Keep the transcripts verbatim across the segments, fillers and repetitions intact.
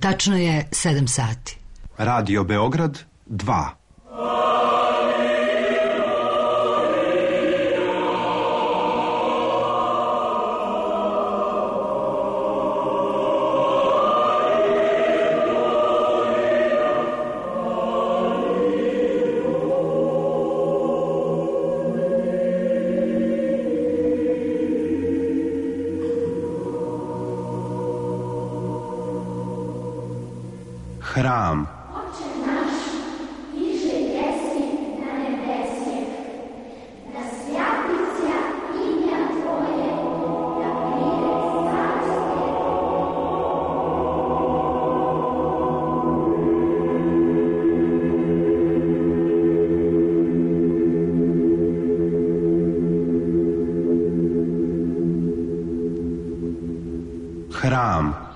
Tačno je sedam sati. Radio Beograd dva. Hram. Oče naš, iže jesi na nebesih, da svjati se imja Tvoje, da pride carstvo. Hram.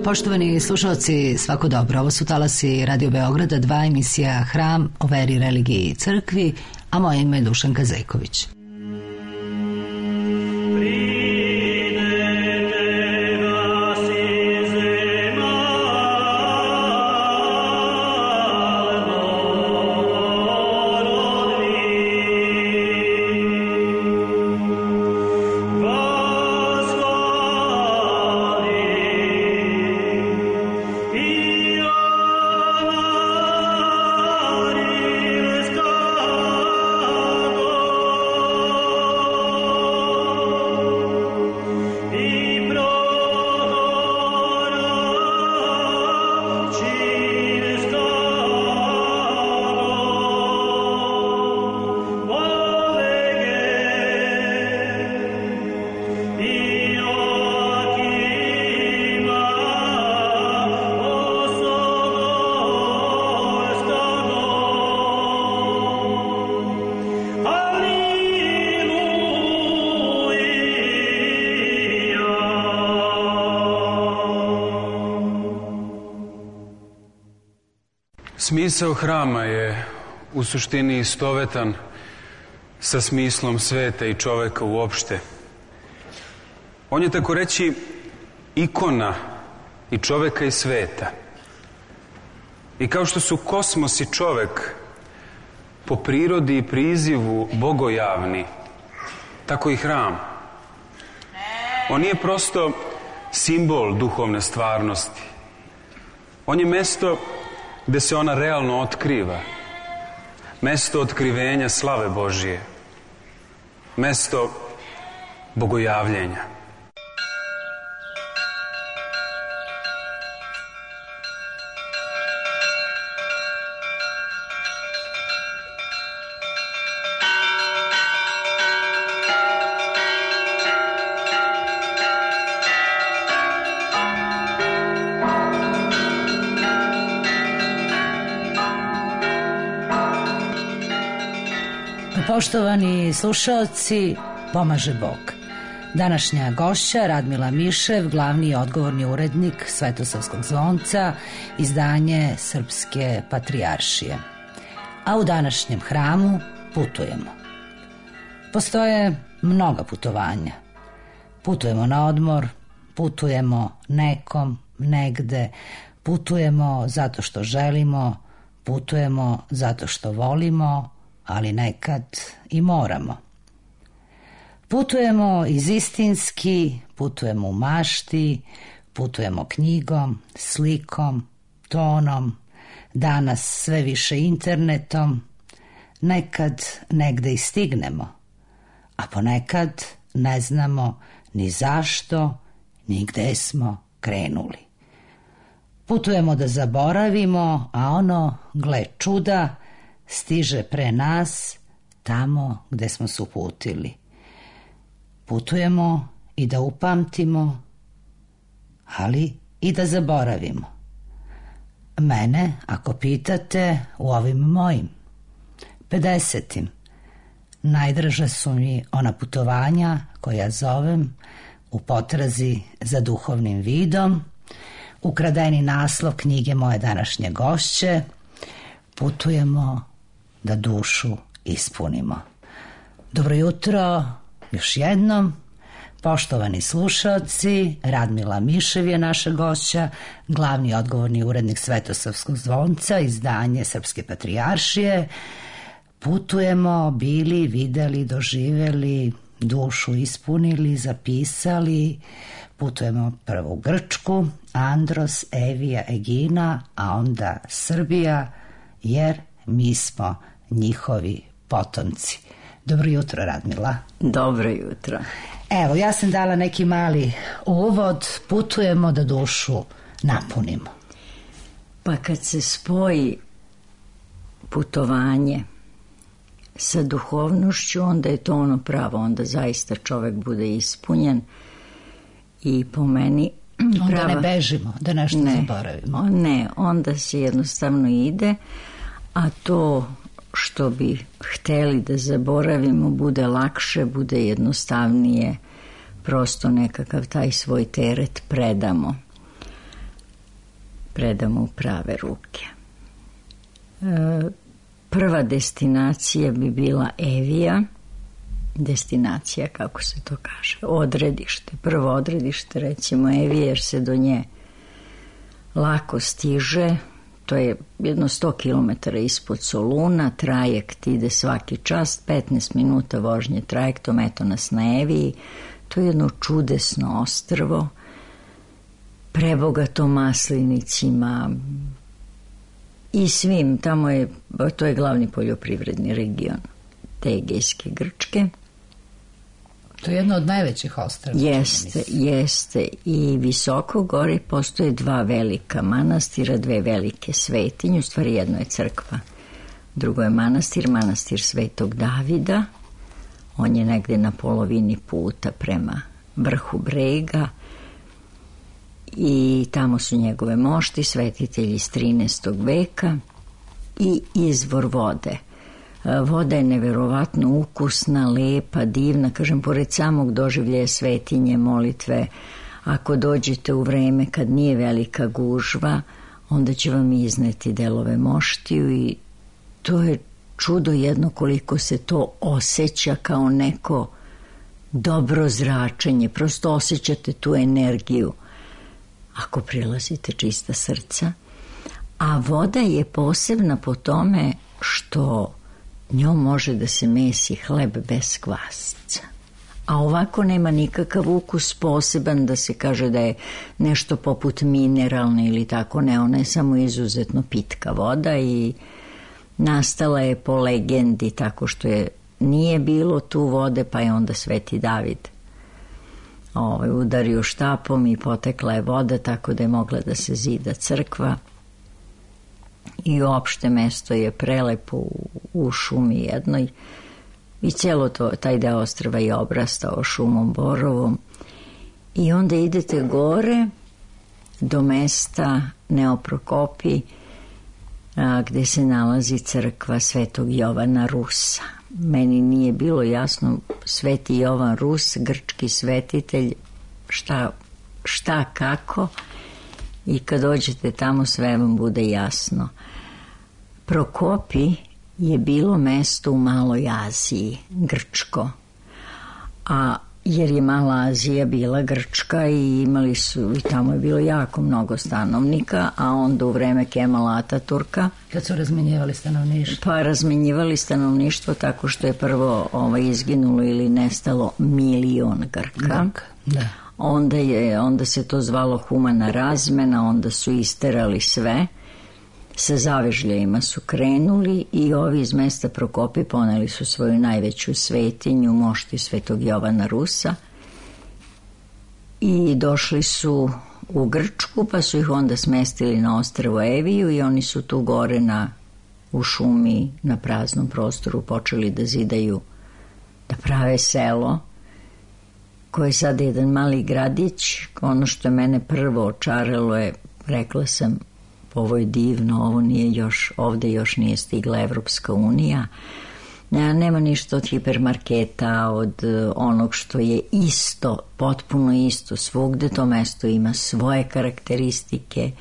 Poštovani slušalci, svako dobro. Ovo su talasi Radio Beograda dva, emisija Hram o veri, religiji i crkvi, a moje ime je Dušanka Zejković. Smisao hrama je u suštini istovetan sa smislom sveta i čoveka uopšte. On je tako reći ikona i čoveka i sveta. I kao što su kosmos i čovek po prirodi i prizivu bogojavni, tako i hram. On nije prosto simbol duhovne stvarnosti. On je mesto gde se ona realno otkriva. Mesto otkrivenja slave Božije. Mesto bogojavljenja. Poštovani slušalci, pomaže Bog. Današnja gošća Radmila Mišev, glavni i odgovorni urednik Svetosavskog zvonca, izdanje Srpske patrijaršije. A u današnjem hramu putujemo. Postoje mnoga putovanja. Putujemo na odmor, putujemo nekom, negde, putujemo zato što želimo, putujemo zato što volimo, ali nekad i moramo. Putujemo iz istinski, putujemo u mašti, putujemo knjigom, slikom, tonom, danas sve više internetom, nekad negde i stignemo, a ponekad ne znamo ni zašto, ni gde smo krenuli. Putujemo da zaboravimo, a ono, gle čuda, stiže pre nas tamo gde smo se uputili. Putujemo i da upamtimo, ali i da zaboravimo. Mene, ako pitate, u ovim mojim pedesetim, najdraža su mi ona putovanja koja zovem u potrazi za duhovnim vidom, ukradeni naslov knjige moje današnje gošće, putujemo da dušu ispunimo. Dobro jutro, još jednom. Poštovani slušaoci, Radmila Mišev je naša gošća, glavni odgovorni urednik Svetosavskog zvonca, izdanje Srpske patrijaršije. Putujemo, bili, videli, doživeli, dušu ispunili, zapisali. Putujemo prvo u Grčku, Andros, Evija, Egina, a onda Srbija, jer mi smo njihovi potomci. Dobro jutro, Radmila. Dobro jutro. Evo, ja sam dala neki mali uvod, putujemo da dušu napunimo. Pa kad se spoji putovanje sa duhovnošću, onda je to ono pravo, onda zaista čovek bude ispunjen i po meni prava... Onda ne bežimo, da nešto ne, zaboravimo. Ne, onda se jednostavno ide, a to što bi hteli da zaboravimo bude lakše, bude jednostavnije, prosto nekakav taj svoj teret predamo. Predamo u prave ruke. E, prva destinacija bi bila Evija, destinacija, kako se to kaže, odredište. Prvo odredište, recimo Evija, jer se do nje lako stiže. To je jedno sto kilometara ispod Soluna, trajekt ide svaki čas, petnaest minuta vožnje trajektom, eto nas na Eviji. To je jedno čudesno ostrvo, prebogato maslinicima i svim. Tamo je, to je glavni poljoprivredni region te Egejske Grčke. To je jedno od najvećih ostrva. Jeste, jeste. I visoko gore postoje dva velika manastira, dve velike svetinje, u stvari jedno je crkva, drugo je manastir, manastir Svetog Davida. On je negde na polovini puta prema vrhu brega i tamo su njegove mošti, svetitelji iz trinaestog veka i izvor vode. Voda je neverovatno ukusna, lepa, divna, kažem, pored samog doživljaja svetinje, molitve, ako dođete u vreme kad nije velika gužva, onda će vam izneti delove moštiju i to je čudo jedno koliko se to osjeća kao neko dobro zračenje, prosto osjećate tu energiju ako prilazite čista srca. A voda je posebna po tome što njom može da se mesi hleb bez kvasca. A ovako nema nikakav ukus poseban da se kaže da je nešto poput mineralne ili tako, ne, ona je samo izuzetno pitka voda i nastala je po legendi tako što je nije bilo tu vode, pa je onda Sveti David ovaj, udario štapom i potekla je voda tako da je mogla da se zida crkva. I uopšte mesto je prelepo u, u šumi jednoj i cijelo to, taj deo ostrva je obrastao šumom borovom i onda idete gore do mesta Neoprokopi a, gde se nalazi crkva Svetog Jovana Rusa. Meni nije bilo jasno, Sveti Jovan Rus, grčki svetitelj, šta, šta kako, i kad dođete tamo sve vam bude jasno. Prokopi je bilo mesto u Maloj Aziji, grčko, a jer je Mala Azija bila grčka i imali su, i tamo je bilo jako mnogo stanovnika, a onda u vreme Kemala Ataturka, kad su razmenjivali stanovništvo, pa razmenjivali stanovništvo tako što je prvo ovaj, izginulo ili nestalo milion Grka. Grka, da. Onda, je, onda se to zvalo humana razmena, onda su isterali sve sa zavežljajima su krenuli i ovi iz mesta Prokopi poneli su svoju najveću svetinju, mošti Svetog Jovana Rusa, i došli su u Grčku, pa su ih onda smestili na ostrvo Eviju i oni su tu gore na, u šumi na praznom prostoru počeli da zidaju, da prave selo koje je sada jedan mali gradić. Ono što je mene prvo očaralo je, rekla sam, ovo je divno, ovo nije još, ovde još nije stigla Evropska unija. Nema ništa od hipermarketa, od onog što je isto, potpuno isto svugde. To mesto ima svoje karakteristike,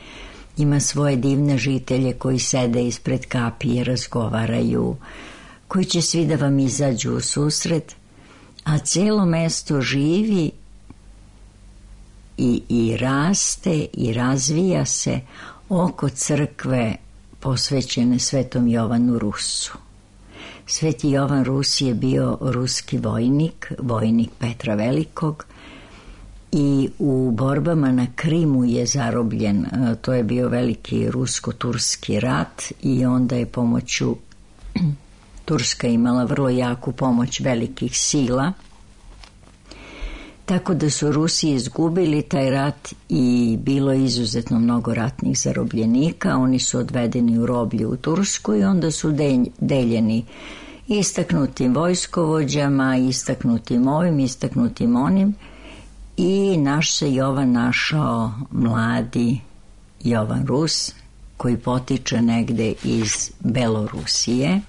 ima svoje divne žitelje koji sede ispred kapije, razgovaraju, koji će svi da vam izađu u susret, a celo mesto živi i, i raste i razvija se oko crkve posvećene Svetom Jovanu Rusu. Sveti Jovan Rus je bio ruski vojnik, vojnik Petra Velikog, i u borbama na Krimu je zarobljen. To je bio veliki rusko-turski rat i onda je pomoću, Turska imala vrlo jaku pomoć velikih sila, tako da su Rusi izgubili taj rat i bilo je izuzetno mnogo ratnih zarobljenika. Oni su odvedeni u roblje u Tursku i onda su deljeni istaknutim vojskovođama, istaknutim ovim, istaknutim onim, i naš se Jovan našao, mladi Jovan Rus, koji potiče negde iz Belorusije,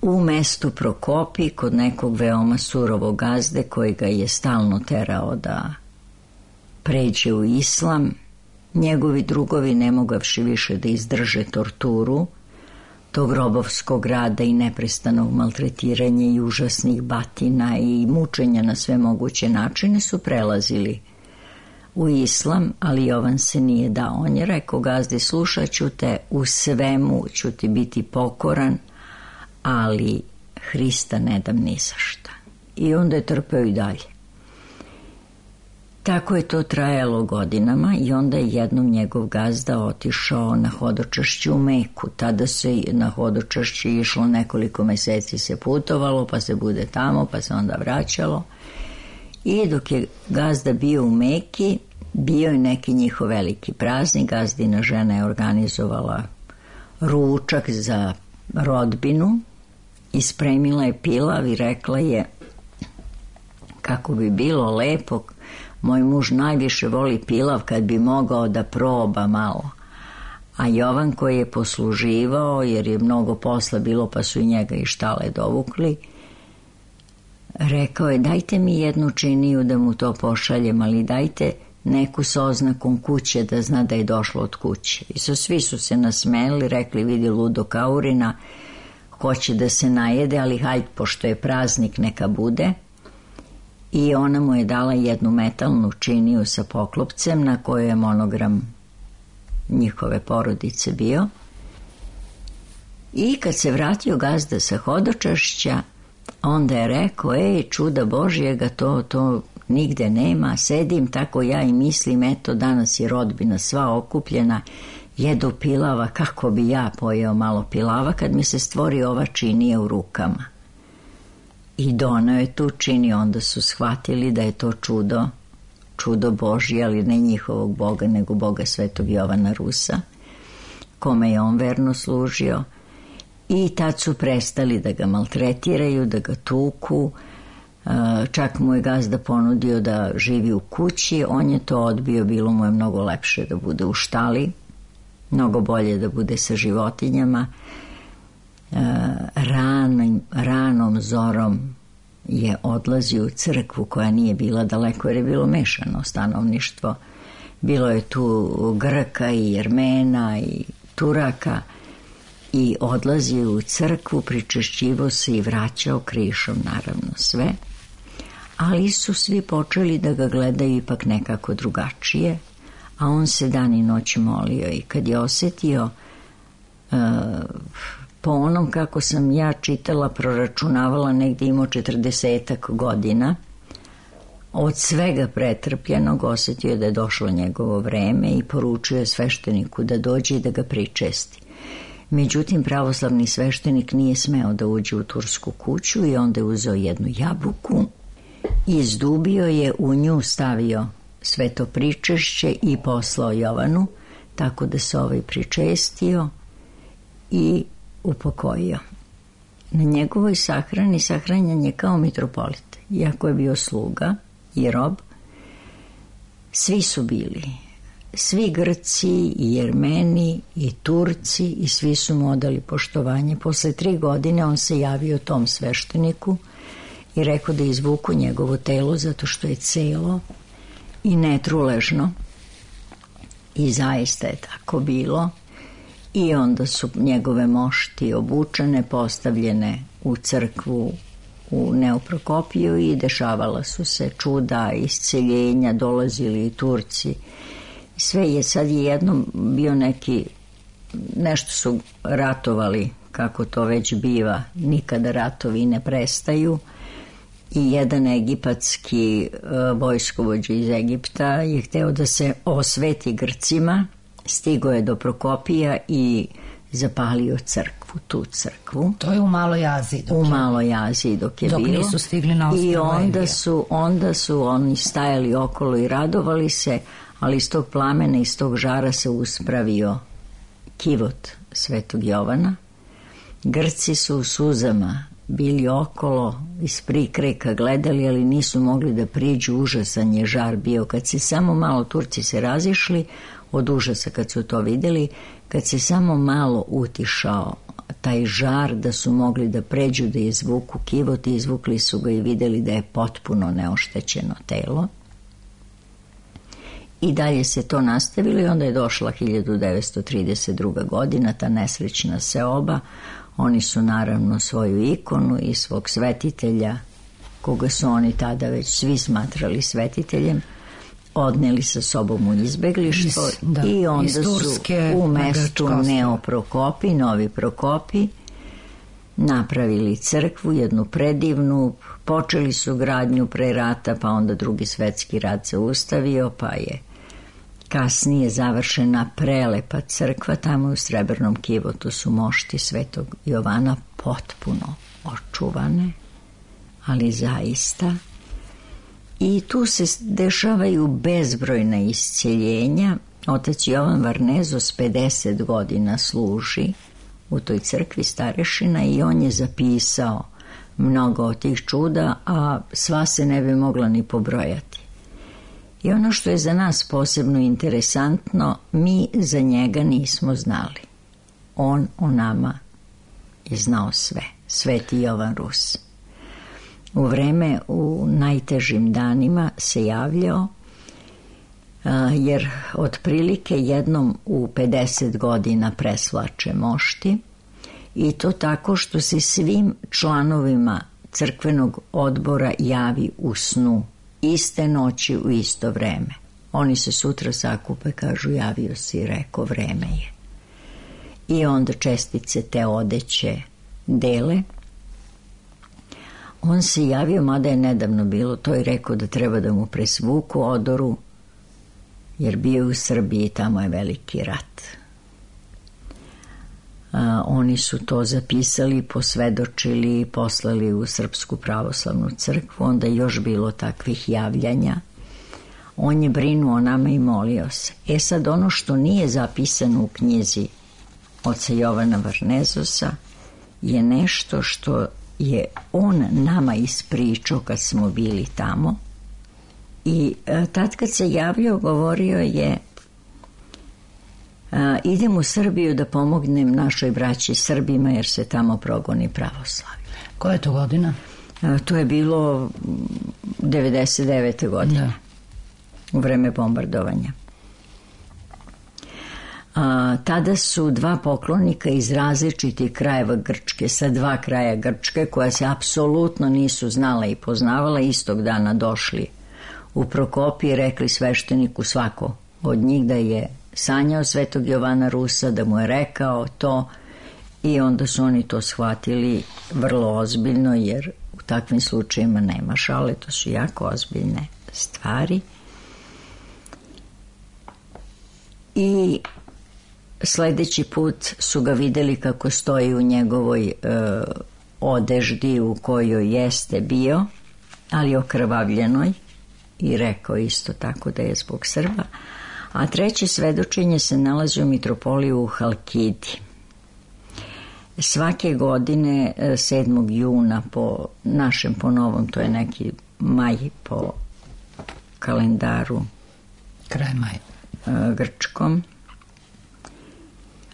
u mestu Prokopi kod nekog veoma surovog gazde koji ga je stalno terao da pređe u islam. Njegovi drugovi, ne mogavši više da izdrže torturu tog robovskog rada i neprestanog maltretiranja i užasnih batina i mučenja na sve moguće načine, su prelazili u islam, ali Jovan se nije dao. On je rekao gazdi, slušat ću te, u svemu ću ti biti pokoran, ali Hrista ne dam ni za šta. I onda je trpeo i dalje. Tako je to trajalo godinama i onda je jednom njegov gazda otišao na hodočašće u Meku. Tada se na hodočašće išlo, nekoliko meseci se putovalo, pa se bude tamo, pa se onda vraćalo. I dok je gazda bio u Meki, bio je neki njihov veliki praznik. Gazdina žena je organizovala ručak za rodbinu i spremila je pilav i rekla je kako bi bilo lepo, moj muž najviše voli pilav, kad bi mogao da proba malo. A Jovan, koji je posluživao, jer je mnogo posla bilo pa su i njega i štale dovukli, rekao je dajte mi jednu činiju da mu to pošaljem, ali dajte neku s oznakom kuće da zna da je došlo od kuće. I so, svi su se nasmeli, rekli vidi ludo Kaurina, hoće da se najede, ali hajde, pošto je praznik, neka bude. I ona mu je dala jednu metalnu činiju sa poklopcem na kojoj je monogram njihove porodice bio. I kad se vratio gazda sa hodočašća, onda je rekao, ej, čuda Božjega, to, to nigde nema, sedim tako ja i mislim, eto, danas je rodbina sva okupljena, jedu pilava, kako bi ja pojeo malo pilava kad mi se stvori ova činija u rukama. I doneo je tu činiju, onda su shvatili da je to čudo, čudo Božje, ali ne njihovog Boga, nego Boga Svetog Jovana Rusa, kome je on verno služio. I tad su prestali da ga maltretiraju, da ga tuku, čak mu je gazda ponudio da živi u kući, on je to odbio, bilo mu je mnogo lepše da bude u štali, mnogo bolje da bude sa životinjama. Ranom, ranom zorom je odlazio u crkvu koja nije bila daleko jer je bilo mešano stanovništvo. Bilo je tu Grka i Jermena i Turaka i odlazio u crkvu, pričešćivo se i vraćao krišom, naravno sve. Ali su svi počeli da ga gledaju ipak nekako drugačije, a on se dan i noć molio i kad je osetio uh, po onom kako sam ja čitala, proračunavala, negdje imao četrdesetak godina, od svega pretrpljenog osjetio da je došlo njegovo vreme i poručio je svešteniku da dođe i da ga pričesti. Međutim, pravoslavni sveštenik nije smeo da uđe u tursku kuću i onda je uzeo jednu jabuku, izdubio je, u nju stavio sveto pričešće i poslao Jovanu, tako da se ovaj pričestio i upokojio. Na njegovoj sahrani sahranjen je kao mitropolit, iako je bio sluga i rob. Svi su bili, svi Grci i Jermeni i Turci, i svi su mu odali poštovanje. Posle tri godine on se javio tom svešteniku i rekao da izvuku njegovo telo zato što je celo i netruležno. I zaista je tako bilo. I onda su njegove mošti obučene, postavljene u crkvu u Neoprokopiju i dešavala su se čuda, isceljenja, dolazili i Turci. Sve je sad jednom bio neki, nešto su ratovali, kako to već biva, nikada ratovi ne prestaju, i jedan egipatski vojskovođa iz Egipta je hteo da se osveti Grcima, stigo je do Prokopija i zapalio crkvu, tu crkvu. To je u Maloj Aziji. U Maloj Aziji dok je dok bilo. Dok nisu stigli na ostrvo I onda Evija. su, onda su oni stajali okolo i radovali se, ali iz tog plamena, iz tog žara se uspravio kivot Svetog Jovana. Grci su u suzama bili okolo, iz prikreka gledali, ali nisu mogli da priđu. Užasan je žar bio. Kad se samo malo, Turci se razišli od užasa kad su to videli, kad se samo malo utišao taj žar da su mogli da pređu, da izvuku kivot, i izvukli su ga i videli da je potpuno neoštećeno telo. I dalje se to nastavilo i onda je došla hiljadu devetsto trideset druga godina, ta nesrećna seoba. Oni su naravno svoju ikonu i svog svetitelja, koga su oni tada već svi smatrali svetiteljem, odneli sa sobom u izbeglištvo. Da, i onda su u mestu Neoprokopi, Novi Prokopi, napravili crkvu, jednu predivnu. Počeli su gradnju pre rata, pa onda Drugi svetski rat se ustavio, pa je kasnije završena prelepa crkva. Tamo u Srebrnom kivotu su mošti Svetog Jovana potpuno očuvane, ali zaista. I tu se dešavaju bezbrojna isceljenja. Otac Jovan Varnezos pedeset godina služi u toj crkvi starešina i on je zapisao mnogo od tih čuda, a sva se ne bi mogla ni pobrojati. I ono što je za nas posebno interesantno, mi za njega nismo znali. On o nama je znao sve. Sveti Jovan Rus. U vreme, u najtežim danima se javljao, jer otprilike jednom u pedeset godina presvlače mošti, i to tako što se svim članovima crkvenog odbora javi u snu, iste noći u isto vreme. Oni se sutra sakupe, kažu javio si, rekao vreme je. I onda čestice te odeće dele. On se javio, mada je nedavno bilo, to je rekao da treba da mu presvuku odoru, jer bio u Srbiji, tamo je veliki rat. A, oni su to zapisali, posvedočili i poslali u Srpsku pravoslavnu crkvu. Onda je još bilo takvih javljanja. On je brinuo o nama i molio se. E sad, ono što nije zapisano u knjizi oca Jovana Varnezosa je nešto što je on nama ispričao kad smo bili tamo. I a, tad kad se javljao, govorio je: a, idem u Srbiju da pomognem našoj braći Srbima, jer se tamo progoni pravoslavlje. Koja je to godina? A, to je bilo devedeset devete godine, da. U vreme bombardovanja. A, tada su dva poklonika iz različitih krajeva Grčke, sa dva kraja Grčke, koja se apsolutno nisu znala i poznavala, istog dana došli u Prokopije, rekli svešteniku svako od njih da je sanjao Svetog Jovana Rusa, da mu je rekao to, i onda su oni to shvatili vrlo ozbiljno, jer u takvim slučajima nema šale, to su jako ozbiljne stvari. I sledeći put su ga videli kako stoji u njegovoj e, odeždi u kojoj jeste bio, ali okrvavljenoj, i rekao isto tako da je zbog Srba. A treće svedočenje se nalazi u mitropoliju u Halkidi. Svake godine sedmog juna po našem, po novom, to je neki maj po kalendaru kraj maja grčkom,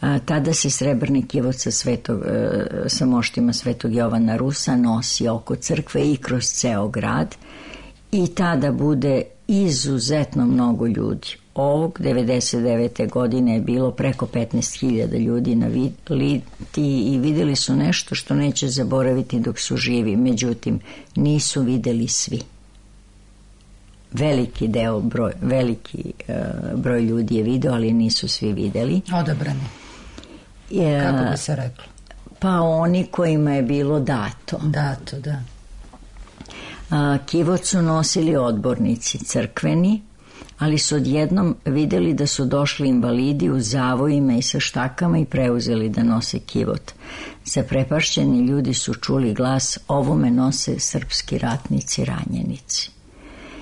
a, tada se srebrni kivot sa, svetog, sa moštima Svetog Jovana Rusa nosi oko crkve i kroz ceo grad, i tada bude izuzetno mnogo ljudi. Ovog devedeset devete godine je bilo preko petnaest hiljada ljudi na Litiji i videli su nešto što neće zaboraviti dok su živi. Međutim, nisu videli svi. Veliki deo, broj, veliki uh, broj ljudi je video, ali nisu svi videli. Odabrani. Je, kako bi se reklo? Pa oni kojima je bilo dato. Dato, da. A, kivot su nosili odbornici crkveni, ali su odjednom videli da su došli invalidi u zavojima i sa štakama i preuzeli da nose kivot. Zaprepašćeni ljudi su čuli glas: ovome nose srpski ratnici ranjenici.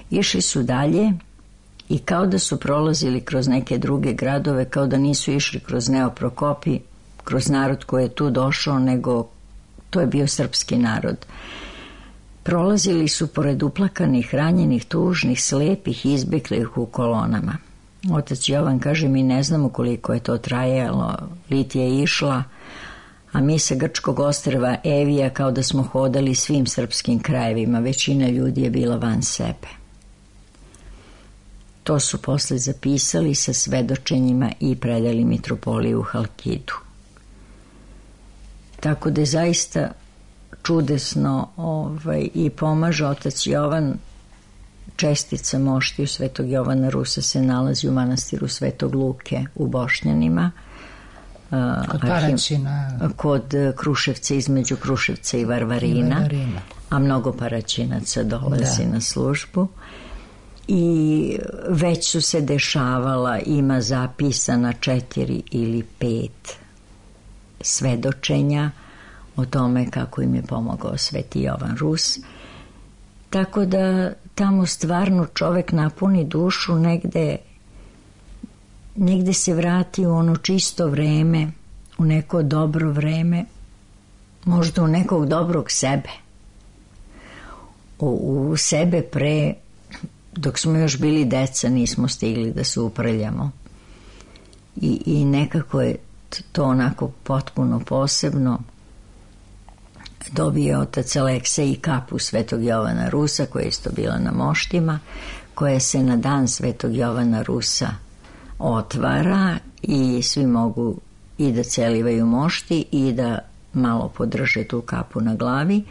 Išli su dalje i kao da su prolazili kroz neke druge gradove, kao da nisu išli kroz Neoprokopi, kroz narod koji je tu došao, nego to je bio srpski narod. Prolazili su pored uplakanih, ranjenih, tužnih, slepih, izbeglih u kolonama. Otac Jovan kaže: mi ne znamo koliko je to trajalo, Litija je išla, a mi sa grčkog ostrva Evija kao da smo hodali svim srpskim krajevima, većina ljudi je bila van sebe. To su posle zapisali sa svedočenjima i predali mitropoliju u Halkidu. Tako da je zaista čudesno ovaj, i pomaže otac Jovan. Čestica moštiju Svetog Jovana Rusa se nalazi u manastiru Svetog Luke u Bošnjanima, kod Paraćina, kod Kruševca, između Kruševca i Varvarina, i Varvarina. A mnogo Paraćinaca dolazi da. na službu. I već su se dešavala, ima zapisana četiri ili pet svedočenja o tome kako im je pomogao Sveti Jovan Rus. Tako da tamo stvarno čovek napuni dušu, negde, negde se vrati u ono čisto vreme, u neko dobro vreme, možda u nekog dobrog sebe. U, u sebe pre, dok smo još bili deca, nismo stigli da se uprljamo. I, i nekako je to onako potpuno posebno. Dobio otac Aleksej i kapu Svetog Jovana Rusa, koja je isto bila na moštima, koja se na dan Svetog Jovana Rusa otvara i svi mogu i da celivaju mošti i da malo podrže tu kapu na glavi,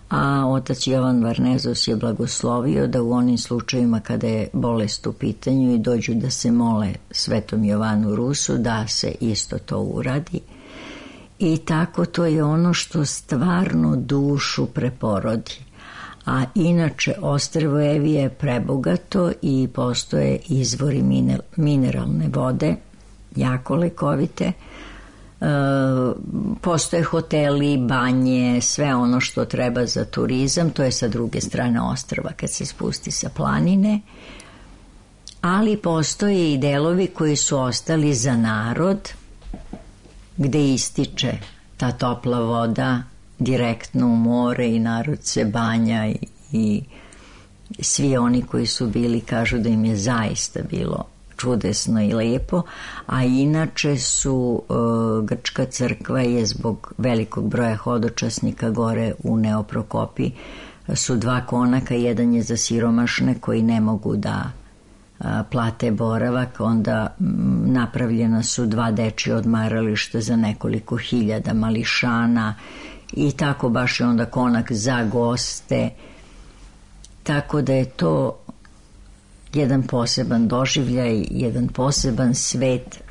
a otac Jovan Varnezos je blagoslovio da u onim slučajima kada je bolest u pitanju i dođu da se mole Svetom Jovanu Rusu, da se isto to uradi. I tako to je ono što stvarno dušu preporodi. A inače ostrvo Evije je prebogato i postoje izvori mineralne vode, jako lekovite. E, postoje hoteli, banje, sve ono što treba za turizam, to je sa druge strane ostrva kad se spusti sa planine. Ali postoje i delovi koji su ostali za narod, gde ističe ta topla voda direktno u more i narod se banja i, i svi oni koji su bili kažu da im je zaista bilo čudesno i lepo, a inače su uh, grčka crkva je zbog velikog broja hodočasnika gore u Neoprokopi su dva konaka, jedan je za siromašne koji ne mogu da plate boravak, onda napravljena su dva dečija odmarališta za nekoliko hiljada mališana i tako baš je onda konak za goste, tako da je to jedan poseban doživljaj, jedan poseban svet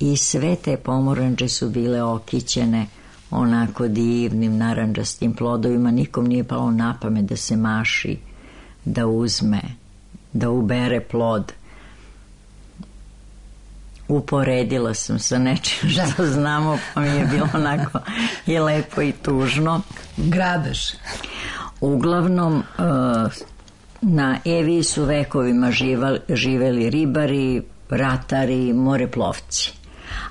i sve te pomorandže su bile okićene onako divnim narandžastim plodovima. Nikom nije palo na pamet da se maši, da uzme, da ubere plod. Uporedila sam sa nečim što znamo, pa mi je bilo onako i lepo i tužno. Grabež. Uglavnom, na Eviji su vekovima živeli ribari, ratari, moreplovci.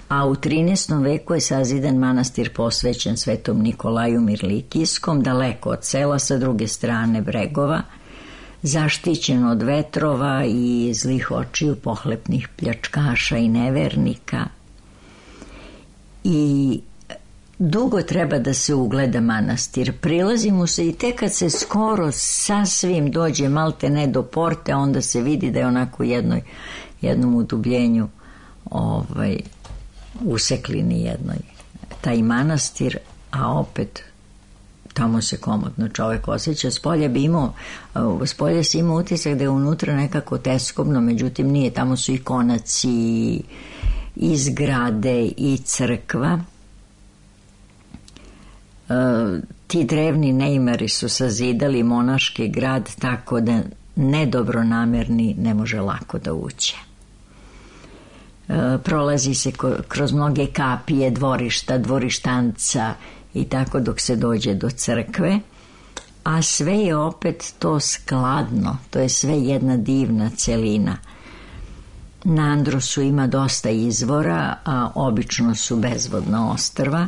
A u trinaestom veku je sazidan manastir posvećen Svetom Nikolaju Mirlikijskom, daleko od sela, sa druge strane bregova, zaštićen od vetrova i zlih očiju pohlepnih pljačkaša i nevernika. I dugo treba da se ugleda manastir. Prilazi mu se i tek kad se skoro sasvim dođe malte ne do porte, onda se vidi da je onako u jednoj, jednom udubljenju ovaj, useklini jednoj taj manastir, a opet tamo se komodno čovek osjeća. Spolje bi imao, spolje si imao utisak da je unutra nekako teskobno, međutim nije, tamo su i konaci, i zgrade, i crkva. E, ti drevni neimari su sazidali monaški grad tako da nedobronamerni ne može lako da uđe. E, prolazi se kroz mnoge kapije, dvorišta, dvorištanca i tako dok se dođe do crkve, a sve je opet to skladno, to je sve jedna divna celina. Na Androsu ima dosta izvora, a obično su bezvodna ostrva,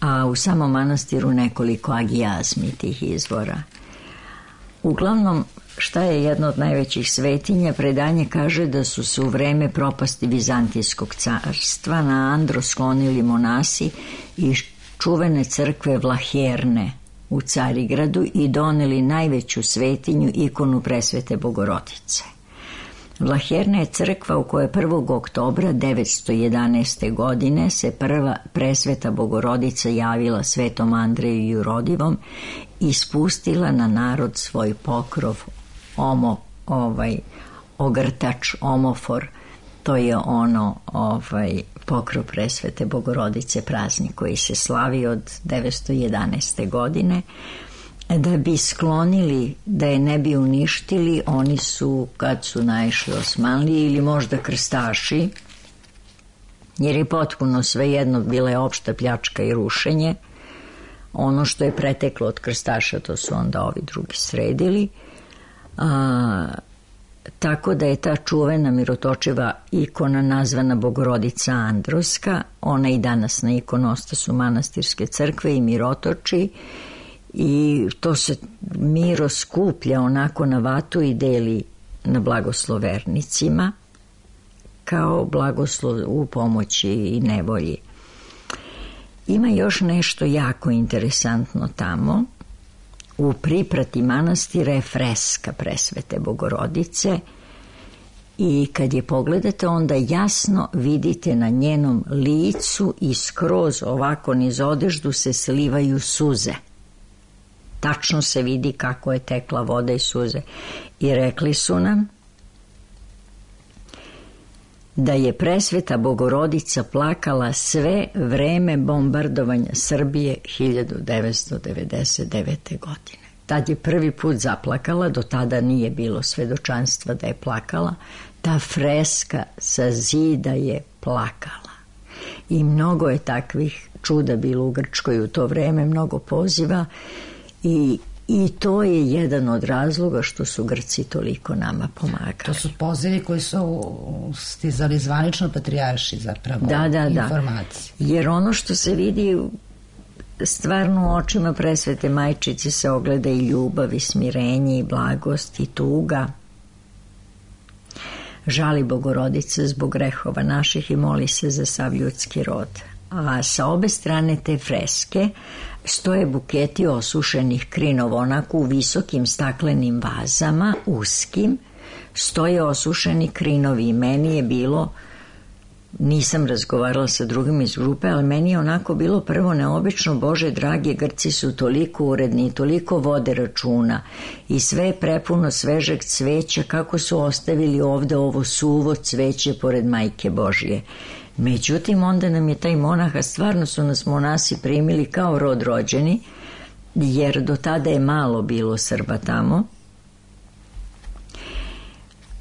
a u samom manastiru nekoliko agijazmi tih izvora. Uglavnom, šta je jedno od najvećih svetinja, predanje kaže da su se u vreme propasti Vizantijskog carstva na Andros sklonili monasi iz čuvene crkve Vlaherne u Carigradu i doneli najveću svetinju, ikonu Presvete Bogorodice. Vlaherna je crkva u kojoj prvog oktobra devetsto jedanaeste. godine se prva Presveta Bogorodica javila Svetom Andreju Jurodivom i spustila na narod svoj pokrov, omo, ovaj, ogrtač, omofor. To je ono, ovaj, pokrov Presvete Bogorodice, praznik koji se slavi od devetsto jedanaeste. godine. Da bi sklonili, da je ne bi uništili, oni su, kad su naišli Osmanlije ili možda krstaši, jer je potpuno svejedno, bila je opšta pljačka i rušenje, ono što je preteklo od krstaša, to su onda ovi drugi sredili, a, tako da je ta čuvena mirotočiva ikona nazvana Bogorodica Androska. Ona i danas na ikonostasu manastirske crkve i mirotoči, i to se miro skuplja onako na vatu i deli na blagoslovernicima kao blagoslov u pomoći i nevolji. Ima još nešto jako interesantno tamo. U priprati manastira je freska Presvete Bogorodice i kad je pogledate onda jasno vidite na njenom licu i skroz ovako niz odeždu se slivaju suze. Tačno se vidi kako je tekla voda i suze. I rekli su nam da je Presveta Bogorodica plakala sve vreme bombardovanja Srbije hiljadu devetsto devedeset devete. godine. Tad je prvi put zaplakala, do tada nije bilo svedočanstva da je plakala. Ta freska sa zida je plakala. I mnogo je takvih čuda bilo u Grčkoj u to vreme, mnogo poziva. I, I to je jedan od razloga što su Grci toliko nama pomagali. To su pozivi koji su stizali zvanično patrijarši zapravo, da, da, informacije. Da. Jer ono što se vidi stvarno u očima Presvete Majčice se ogleda i ljubav i smirenje i blagost i tuga. Žali Bogorodica zbog grehova naših i moli se za sav ljudski rod. A sa obe strane te freske stoje buketi osušenih krinova, onako u visokim staklenim vazama, uskim, stoje osušeni krinovi i meni je bilo, nisam razgovarala sa drugim iz grupe, ali meni je onako bilo prvo neobično, Bože dragi, Grci su toliko uredni i toliko vode računa i sve je prepuno svežeg cveća, kako su ostavili ovde ovo suvo cveće pored Majke Božje. Međutim, onda nam je taj monah, a stvarno su nas monasi primili kao rod rođeni, jer do tada je malo bilo Srba tamo.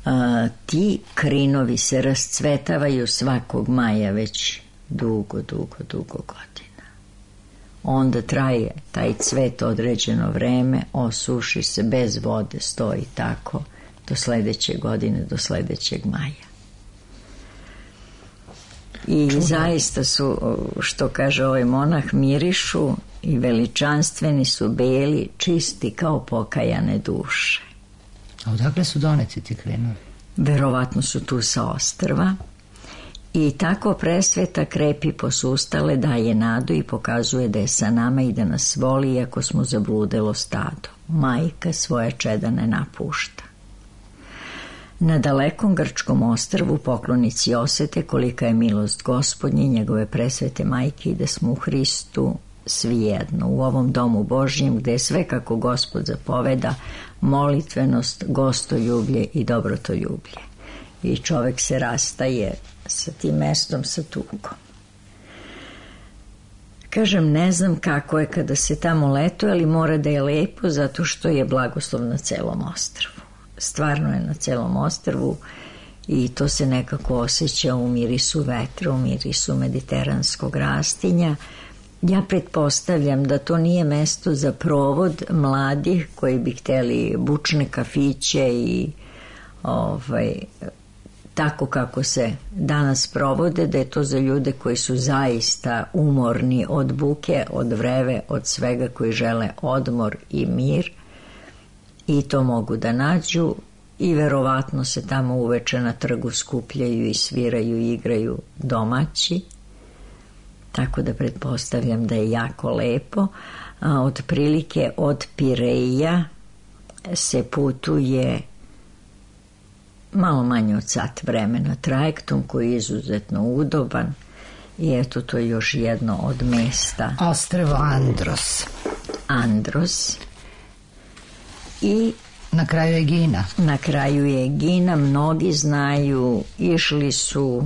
A, ti krinovi se rascvetavaju svakog maja već dugo, dugo, dugo godina. Onda traje taj cvet određeno vreme, osuši se, bez vode stoji tako do sledeće godine, do sledećeg maja. I Čudno. Zaista su, što kaže ovaj monah, mirišu i veličanstveni su, beli, čisti kao pokajane duše. A odakle su doneti ti krinovi? Verovatno su tu sa ostrva. I tako presveta krepi posustale, daje nadu i pokazuje da je sa nama i da nas voli iako smo zabludelo stado. Majka svoje čeda ne napušta. Na dalekom grčkom ostrvu poklonici osete kolika je milost Gospodnje, njegove presvete majke i da smo u Hristu svi jedno. U ovom domu Božjem gde je sve kako Gospod zapoveda, molitvenost, gostoljublje i dobrotoljublje. I čovek se rastaje sa tim mestom, sa tugom. Kažem, ne znam kako je kada se tamo letuje, ali mora da je lepo zato što je blagoslov na celom ostrvu. Stvarno je na celom ostrvu i to se nekako osjeća u mirisu vetra, u mirisu mediteranskog rastinja. Ja pretpostavljam da to nije mesto za provod mladih koji bi hteli bučne kafiće i ovaj, tako kako se danas provode, da je to za ljude koji su zaista umorni od buke, od vreve, od svega, koji žele odmor i mir i to mogu da nađu i verovatno se tamo uveče na trgu skupljaju i sviraju i igraju domaći. Tako da pretpostavljam da je jako lepo. A otprilike od Pireja se putuje malo manje od sat vremena trajektom koji je izuzetno udoban i eto to je još jedno od mesta. Ostrvo Andros. Andros. I na kraju je Egina. Na kraju je Egina, mnogi znaju, išli su,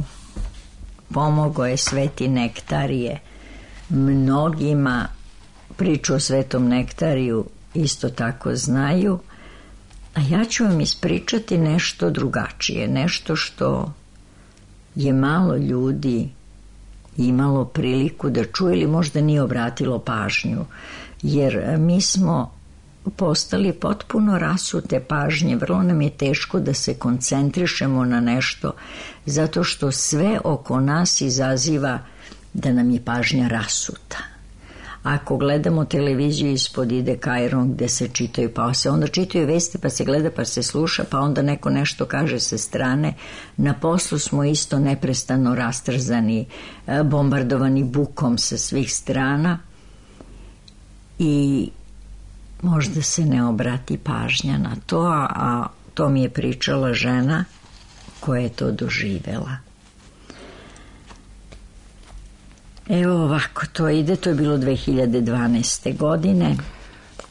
pomogao je Sveti Nektarije mnogima, priču o Svetom Nektariju isto tako znaju, a ja ću vam ispričati nešto drugačije, nešto što je malo ljudi imalo priliku da čuje ili možda nije obratilo pažnju, jer mi smo postali potpuno rasute pažnje, vrlo nam je teško da se koncentrišemo na nešto, zato što sve oko nas izaziva da nam je pažnja rasuta. Ako gledamo televiziju, ispod ide Kajron gde se čitaju, pa se onda čitaju vesti, pa se gleda, pa se sluša, pa onda neko nešto kaže sa strane. Na poslu smo isto neprestano rastrzani, bombardovani bukom sa svih strana i možda se ne obrati pažnja na to, a to mi je pričala žena koja je to doživela. Evo ovako to ide, to je bilo dve hiljade dvanaeste. godine.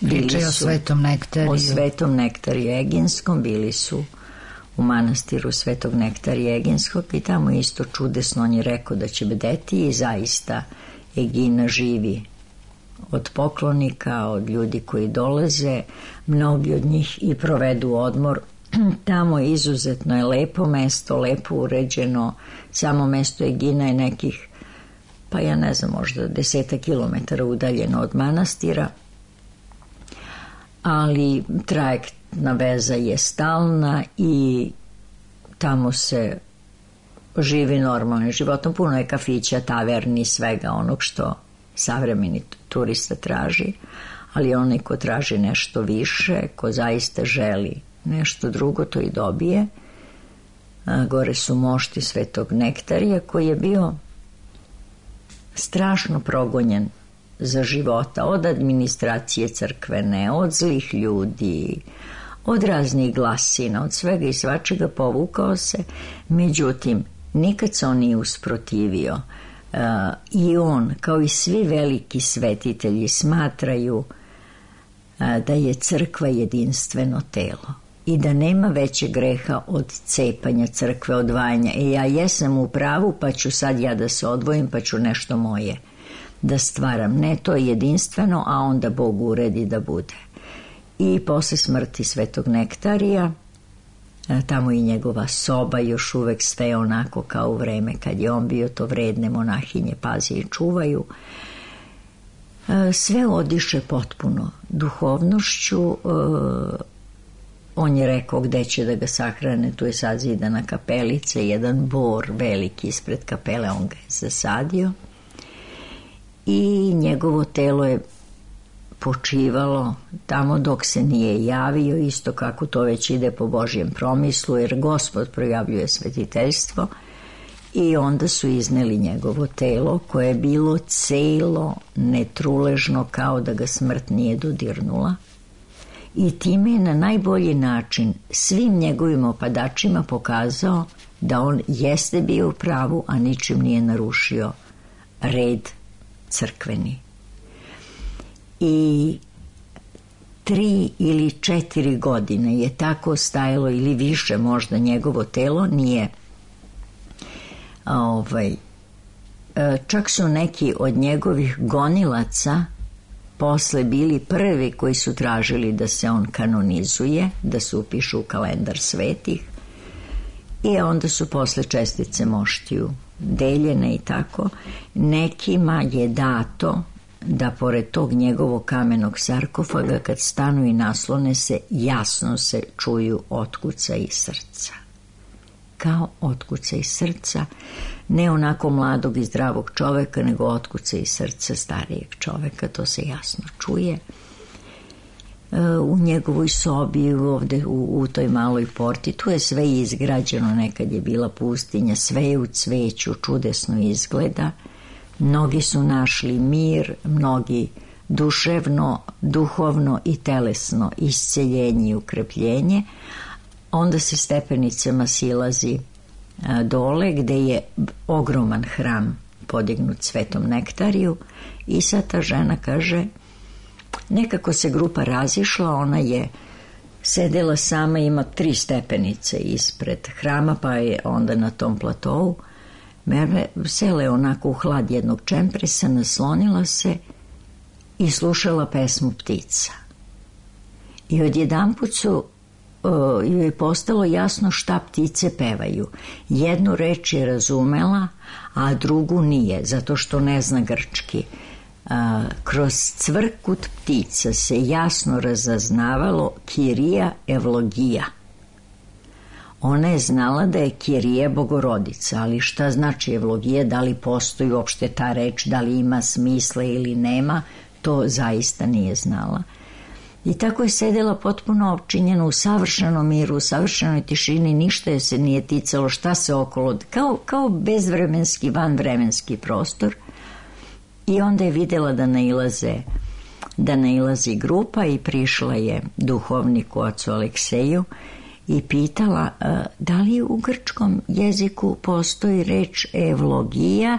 Pričaju o Svetom Nektariju. O Svetom Nektariju Eginskom, bili su u manastiru Svetog Nektarija Eginskog i tamo isto čudesno on je rekao da će bdeti i zaista Egina živi od poklonika, od ljudi koji dolaze, mnogi od njih i provedu odmor. Tamo izuzetno je lepo mesto, lepo uređeno, samo mesto Egina je nekih, pa ja ne znam, možda deseta kilometara udaljeno od manastira, ali trajektna veza je stalna i tamo se živi normalnim životom, puno je kafića, taverni, svega onog što savremeni turista traži, ali onaj ko traži nešto više, ko zaista želi nešto drugo, to i dobije. A, gore su mošti Svetog Nektarija koji je bio strašno progonjen za života, od administracije crkvene, od zlih ljudi, od raznih glasina, od svega i svačega povukao se, međutim nikad se on nije usprotivio. Uh, i on, kao i svi veliki svetitelji, smatraju uh, da je crkva jedinstveno telo. i da nema veće greha od cepanja crkve, odvajanja. E ja jesam u pravu, pa ću sad ja da se odvojim, pa ću nešto moje da stvaram. Ne, to je jedinstveno, a onda Bog uredi da bude. I posle smrti Svetog Nektarija, tamo i njegova soba, još uvek sve onako kao u vreme kad je on bio, to vredne monahinje pazi i čuvaju. Sve odiše potpuno duhovnošću. On je rekao gde će da ga sahrane, tu je sazidana kapelica, jedan bor veliki ispred kapele, on ga je zasadio i njegovo telo je počivalo tamo dok se nije javio, isto kako to već ide po Božjem promislu, jer Gospod projavljuje svetiteljstvo, i onda su izneli njegovo telo koje je bilo celo, netruležno, kao da ga smrt nije dodirnula, i time je na najbolji način svim njegovim opadačima pokazao da on jeste bio u pravu, a ničim nije narušio red crkveni. I tri ili četiri godine je tako stajalo, ili više možda, njegovo telo, nije ovaj, čak su neki od njegovih gonilaca posle bili prvi koji su tražili da se on kanonizuje, da se upišu u kalendar svetih, i onda su posle čestice moštiju deljene i tako. Nekima je dato da pored tog njegovog kamenog sarkofaga, kad stanu i naslone se, jasno se čuju otkuca iz srca. Kao otkuca iz srca, ne onako mladog i zdravog čoveka, nego otkuca iz srca starijeg čoveka, to se jasno čuje. U njegovoj sobi, ovde u, u toj maloj porti, tu je sve izgrađeno, nekad je bila pustinja, sve je u cveću, čudesno izgleda. Mnogi su našli mir, mnogi duševno, duhovno i telesno isceljenje i ukrepljenje. Onda se stepenicama silazi dole, gde je ogroman hram podignut Svetom Nektariju, i sad ta žena kaže, nekako se grupa razišla, ona je sedela sama, ima tri stepenice ispred hrama, pa je onda na tom platovu sele onako u hlad jednog čempresa, naslonila se i slušala pesmu ptica. I odjedanput su joj je postalo jasno šta ptice pevaju. Jednu reč je razumela, a drugu nije, zato što ne zna grčki. Kroz cvrkut ptica se jasno razaznavalo Kirija Evlogija. Ona je znala da je Kirija Bogorodica, ali šta znači Evlogija, da li postoji uopšte ta reč, da li ima smisla ili nema, to zaista nije znala. I tako je sedela potpuno opčinjena u savršenom miru, u savršenoj tišini, ništa je se nije ticalo šta se okolo, kao, kao bezvremenski, vanvremenski prostor. I onda je videla da nailaze, da nailazi grupa, i prišla je duhovniku ocu Alekseju i pitala da li u grčkom jeziku postoji reč evlogija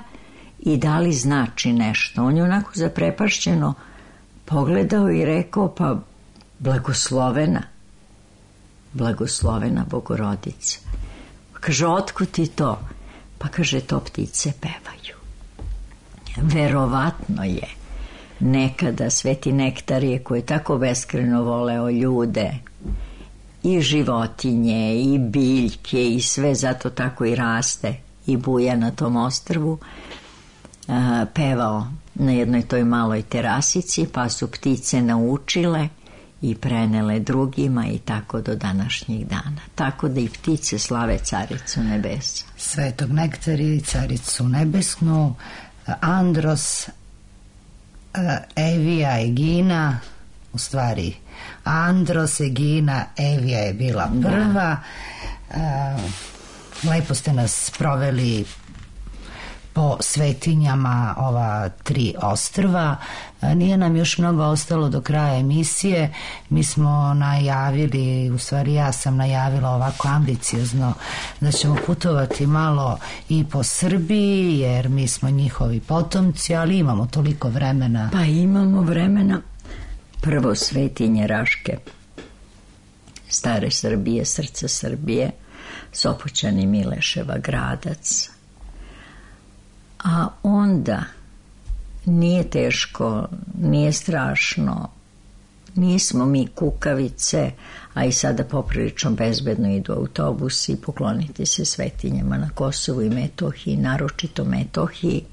i da li znači nešto. On je onako zaprepašćeno pogledao i rekao, pa blagoslovena, blagoslovena Bogorodica. Kaže, otkud ti to? Pa kaže, to ptice pevaju. Verovatno je nekada Sveti Nektarije, koji je tako beskreno voleo ljude i životinje i biljke i sve, zato tako i raste i buja na tom ostrvu, pevao na jednoj toj maloj terasici, pa su ptice naučile i prenele drugima, i tako do današnjih dana. Tako da i ptice slave Caricu nebesa. Svetog Nektarija i Caricu nebesnu, Andros, Evija, Egina, u stvari Andros, Egina, Evija je bila prva. Da. Lepo ste nas proveli po svetinjama ova tri ostrva. Nije nam još mnogo ostalo do kraja emisije. Mi smo najavili, u stvari ja sam najavila ovako ambiciozno, da ćemo putovati malo i po Srbiji, jer mi smo njihovi potomci, ali imamo toliko vremena. Pa imamo vremena. Prvo svetinje Raške stare Srbije, srca Srbije, Sopoćani, Mileševa, Gradac. A onda nije teško, nije strašno, nismo mi kukavice, a i sada poprilično bezbedno idu autobusi pokloniti se svetinjama na Kosovu i Metohiji, naročito Metohiji,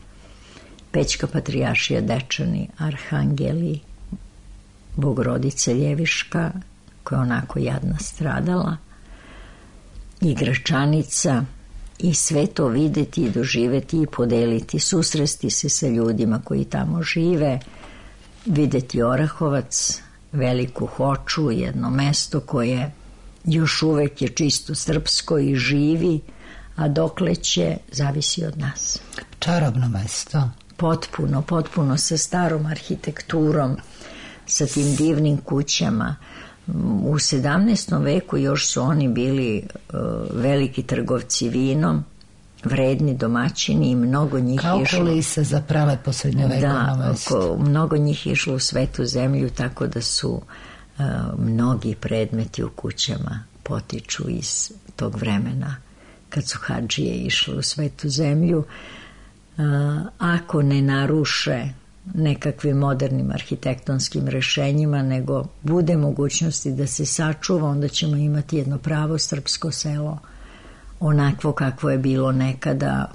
Pećka patrijaršija, Dečani, Arhangeli, Bogorodice Ljeviška, koja je onako jadna stradala, i Gračanica, i sve to videti i doživeti i podeliti, susresti se sa ljudima koji tamo žive, videti Orahovac, Veliku Hoču, jedno mesto koje još uvek je čisto srpsko i živi, a dokle će, zavisi od nas. Čarobno mesto. Potpuno, potpuno sa starom arhitekturom, sa tim divnim kućama. U sedamnaestom veku još su oni bili uh, veliki trgovci vinom, vredni domaćini i mnogo njih kao išlo... Kao kulisa za prelepo srednjovekovno mesto. Da, mnogo njih išlo u Svetu zemlju, tako da su uh, mnogi predmeti u kućama potiču iz tog vremena kad su hadžije išle u Svetu zemlju. Uh, ako ne naruše nekakvim modernim arhitektonskim rešenjima, nego bude mogućnosti da se sačuva, onda ćemo imati jedno pravo srpsko selo, onakvo kakvo je bilo nekada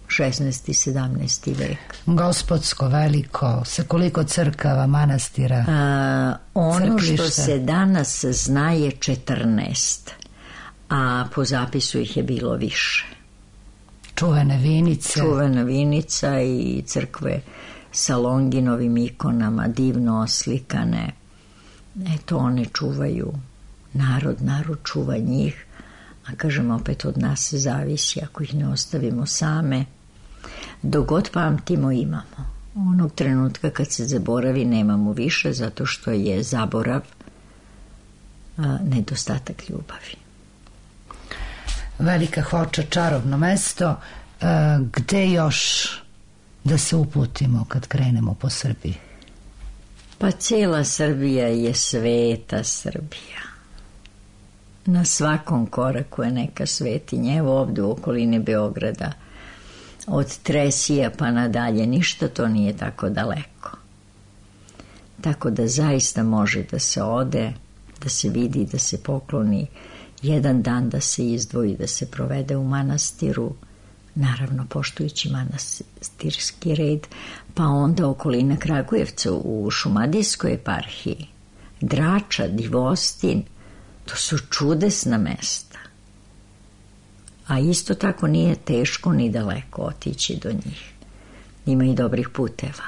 šesnaesti i sedamnaesti vek. Gospodsko, veliko, sa koliko crkava, manastira, a, ono crklišta? Što se danas zna je četrnaest, a po zapisu ih je bilo više. Čuvene vinice. Čuvena vinica i crkve sa Longinovim ikonama, divno oslikane. Eto, one čuvaju narod, narod čuva njih, a kažem, opet od nas se zavisi, ako ih ne ostavimo same. Dok god pamtimo, imamo. Onog trenutka kad se zaboravi, nemamo više, zato što je zaborav a, nedostatak ljubavi. Velika Hoča, čarobno mesto. E, gde još da se uputimo kad krenemo po Srbiji? Pa cijela Srbija je sveta Srbija. Na svakom koraku je neka svetinja. Evo ovde u okolini Beograda, od Tresija pa nadalje, ništa to nije tako daleko. Tako da zaista može da se ode, da se vidi, da se pokloni, jedan dan da se izdvoji, da se provede u manastiru, naravno poštujući manastirski red, pa onda okolina Kragujevca u Šumadijskoj eparhiji, Drača, Divostin, to su čudesna mesta. A isto tako nije teško ni daleko otići do njih. Ima i dobrih puteva.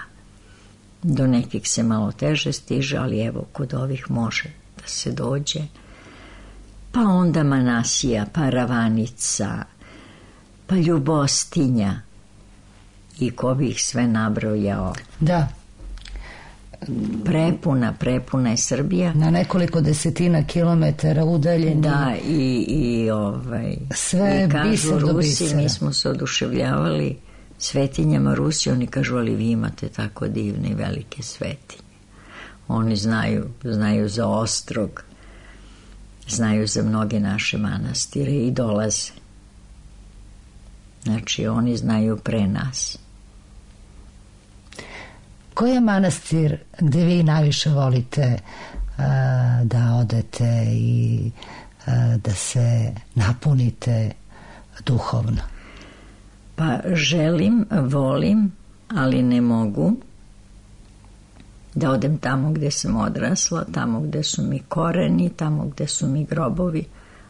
Do nekih se malo teže stiže, ali evo, kod ovih može da se dođe. Pa onda Manasija, pa Ravanica, pa Ljubostinja, i ko bi ih sve nabrojao. Da. Prepuna, prepuna je Srbija. Na nekoliko desetina kilometara udaljeni. Da, i, i ovaj... sve i kažu biser do Rusi, bisera. mi smo se oduševljavali svetinjama Rusi, oni kažu, ali vi imate tako divne i velike svetinje. Oni znaju, znaju za Ostrog, znaju za mnoge naše manastire i dolaze. Znači, oni znaju pre nas. Koji je manastir gde vi najviše volite a, da odete i a, da se napunite duhovno? Pa želim, volim, ali ne mogu da odem tamo gde sam odrasla, tamo gde su mi koreni, tamo gde su mi grobovi,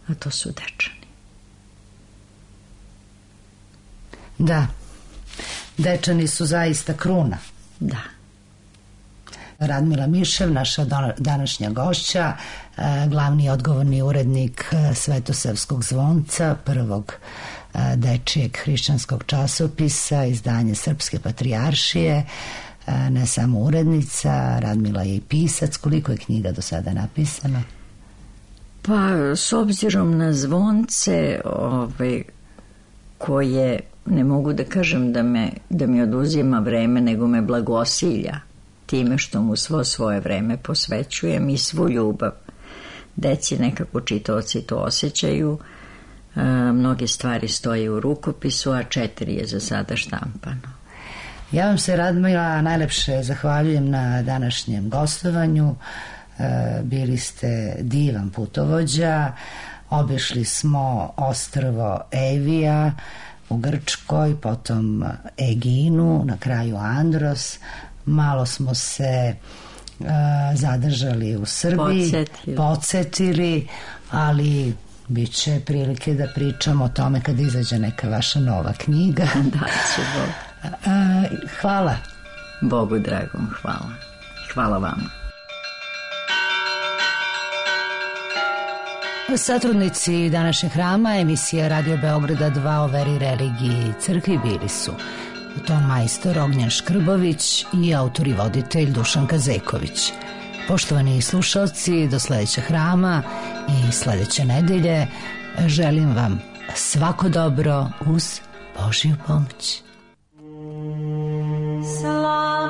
a to su Dečani. Da, Dečani su zaista kruna. Da. Radmila Mišev, naša današnja gošća, glavni odgovorni urednik Svetosavskog zvonca, prvog dečijeg hrišćanskog časopisa, izdanje Srpske patrijaršije, ne samo urednica, Radmila je i pisac. Koliko je knjiga do sada napisano? Pa, s obzirom na zvonce, ove, koje, ne mogu da kažem da, me, da mi oduzima vreme, nego me blagosilja time što mu svo svoje vreme posvećujem i svu ljubav. deci nekako čitaoci to osjećaju. E, mnoge stvari stoje u rukopisu, a četiri je za sada štampano. Ja vam se, Radmila, najlepše zahvaljujem na današnjem gostovanju. E, bili ste divan putovođa. Obišli smo ostrvo Evija u Grčkoj, potom Eginu, na kraju Andros. Malo smo se uh, zadržali u Srbiji, Podsjetili. podsjetili, ali bit će prilike da pričamo o tome kada izađe neka vaša nova knjiga. Da, će Bog. Uh, hvala. Bogu dragom, hvala. Hvala vama. Satrudnici današnjeg hrama, emisija Radio Beograda dva o veri, religiji i crkvi bili su ton majstor Ognjen Škrbović i autor i voditelj Dušan Kazeković. Poštovani slušalci, do sledećeg hrama i sledeće nedelje želim vam svako dobro uz Božju pomoć. Slava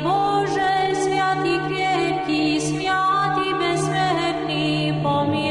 Bože, svjati krepki, svjati besmrtni, pomiluj.